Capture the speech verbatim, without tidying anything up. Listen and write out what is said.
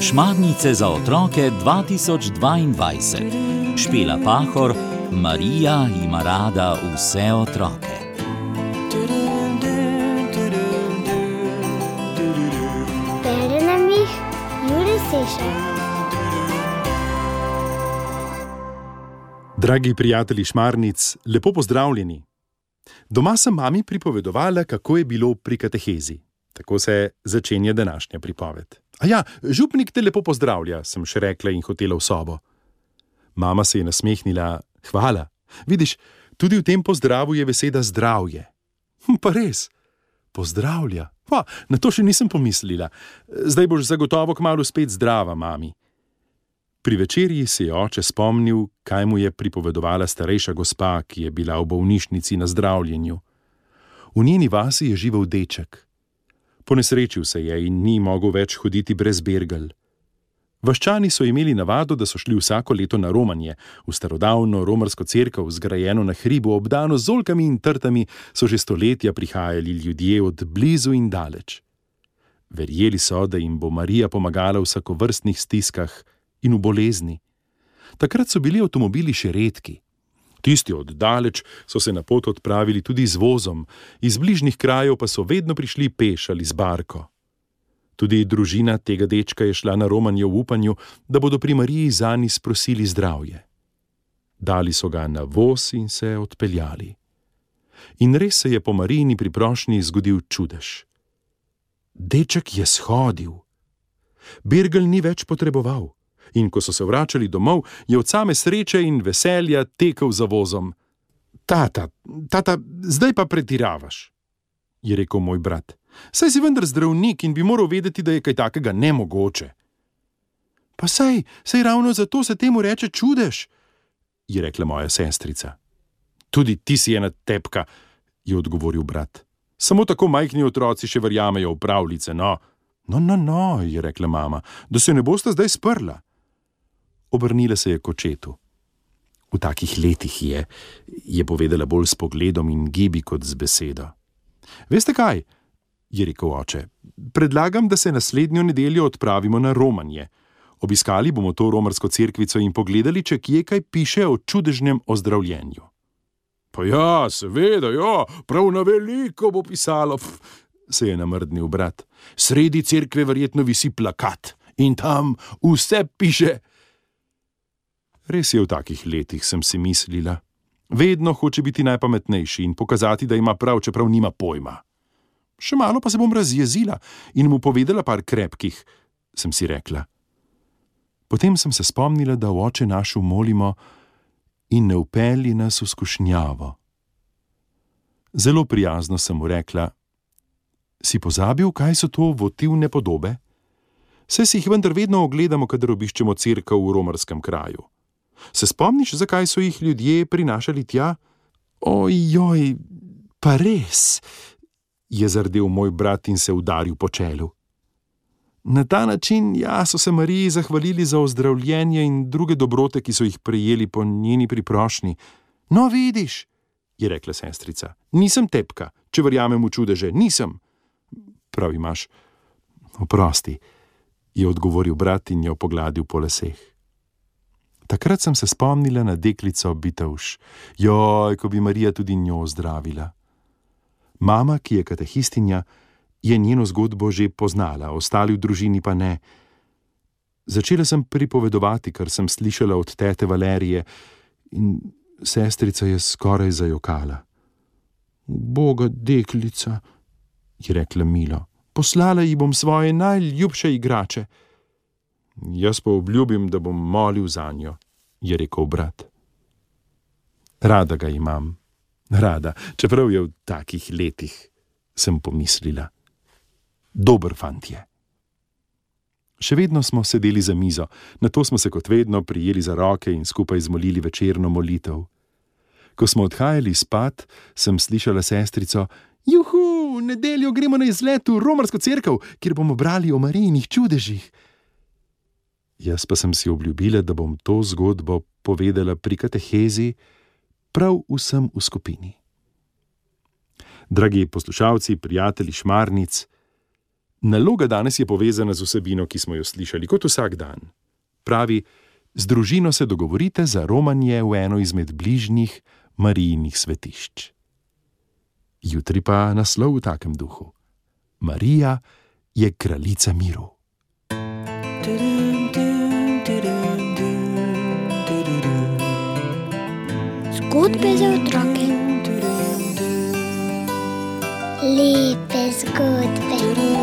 Šmarnice za otroke dva tisoč dvaindvajset. Špela Pahor, Marija ima rada vse otroke. Bere nam jih Jure Sešar. Dragi prijatelji Šmarnic, lepo pozdravljeni. Doma sem mami pripovedovala, kako je bilo pri katehezi. Tako se začenja današnja pripoved. A ja, župnik te lepo pozdravlja, sem še rekla in hotela v sobo. Mama se je nasmehnila, hvala. Vidiš, tudi v tem pozdravu je beseda zdravje. Hm, pa res, pozdravlja. Pa, na to še nisem pomislila. Zdaj boš zagotovo kmalu spet zdrava, mami. Pri večerji se je oče spomnil, kaj mu je pripovedovala starejša gospa, ki je bila v bolnišnici na zdravljenju. V njeni vasi je živel deček. Ponesrečil se je in ni mogel več hoditi brez bergel. Vaščani so imeli navado, da so šli vsako leto na romanje. V starodavno romarsko cerkev, zgrajeno na hribu, obdano z oljkami in trtami, so že stoletja prihajali ljudje od blizu in daleč. Verjeli so, da jim bo Marija pomagala v vsakovrstnih stiskah in v bolezni. Takrat so bili avtomobili še redki. Tisti od daleč so se na pot odpravili tudi z vozom, iz bližnjih krajev pa so vedno prišli peš ali z barko. Tudi družina tega dečka je šla na romanje v upanju, da bodo pri Mariji zanj sprosili zdravje. Dali so ga na voz in se odpeljali. In res se je po Marijini priprošnji zgodil čudež. Deček je shodil. Bergel ni več potreboval. In ko so se vračali domov, je od same sreče in veselja tekel za vozom. Tata, tata, zdaj pa pretiravaš, je rekel moj brat. Saj si vendar zdravnik in bi moral vedeti, da je kaj takega nemogoče. Pa saj, saj ravno zato se temu reče čudež, je rekla moja sestrica. Tudi ti si ena tepka, je odgovoril brat. Samo tako majhni otroci še verjamejo v pravljice, no. No, no, no, je rekla mama, da se ne bosta zdaj sprla. Obrnila se je k očetu. V takih letih je, je povedala bolj s pogledom in gibi kot z besedo. Veste kaj, je rekel oče, predlagam, da se naslednjo nedeljo odpravimo na romanje. Obiskali bomo to romarsko cerkvico in pogledali, če kje kaj piše o čudežnem ozdravljenju. Pa ja, seveda, ja, prav na veliko bo pisalo, pf, se je namrdnil brat. Sredi cerkve verjetno visi plakat in tam vse piše. Res je, v takih letih sem si mislila. Vedno hoče biti najpametnejši in pokazati, da ima prav, čeprav nima pojma. Še malo pa se bom razjezila in mu povedala par krepkih, sem si rekla. Potem sem se spomnila, da v oče našu molimo in ne vpelji nas v skušnjavo. Zelo prijazno sem mu rekla, si pozabil, kaj so to votivne podobe? Saj si jih vendar vedno ogledamo, kadar obiščemo cerkev v romarskem kraju. Se spomniš, zakaj so jih ljudje prinašali tja? Ojoj, pa res, je zardel moj brat in se udaril po čelu. Na ta način, ja, so se Mariji zahvalili za ozdravljenje in druge dobrote, ki so jih prejeli po njeni priprošnji. No, vidiš, je rekla sestrica, nisem tepka, če verjamem v čudeže, nisem. Prav imaš, oprosti, je odgovoril brat in jo pogladil po laseh. Takrat sem se spomnila na deklico Bitavš. Joj, ko bi Marija tudi njo zdravila. Mama, ki je katehistinja, je njeno zgodbo že poznala, ostali v družini pa ne. Začela sem pripovedovati, kar sem slišala od tete Valerije, in sestrica je skoraj zajokala. Boga deklica, je rekla milo, poslala ji bom svoje najljubše igrače. Jaz pa obljubim, da bom molil zanjo, je rekel brat. Rada ga imam, rada, čeprav je v takih letih, sem pomislila. Dober fant je. Še vedno smo sedeli za mizo, nato smo se kot vedno prijeli za roke in skupaj zmolili večerno molitev. Ko smo odhajali spat, sem slišala sestrico, juhu, v nedeljo gremo na izlet v romarsko cerkev, kjer bomo brali o Marijinih čudežih. Jaz pa sem si obljubila, da bom to zgodbo povedala pri katehezi prav vsem v skupini. Dragi poslušalci, prijatelji Šmarnic, Naloga danes je povezana z vsebino, ki smo jo slišali, kot vsak dan. Pravi, z družino se dogovorite za romanje v eno izmed bližnjih Marijinih svetišč. Jutri pa naslov v takem duhu. Marija je kraljica miru. Zgodbe za otroke. Lepe zgodbe.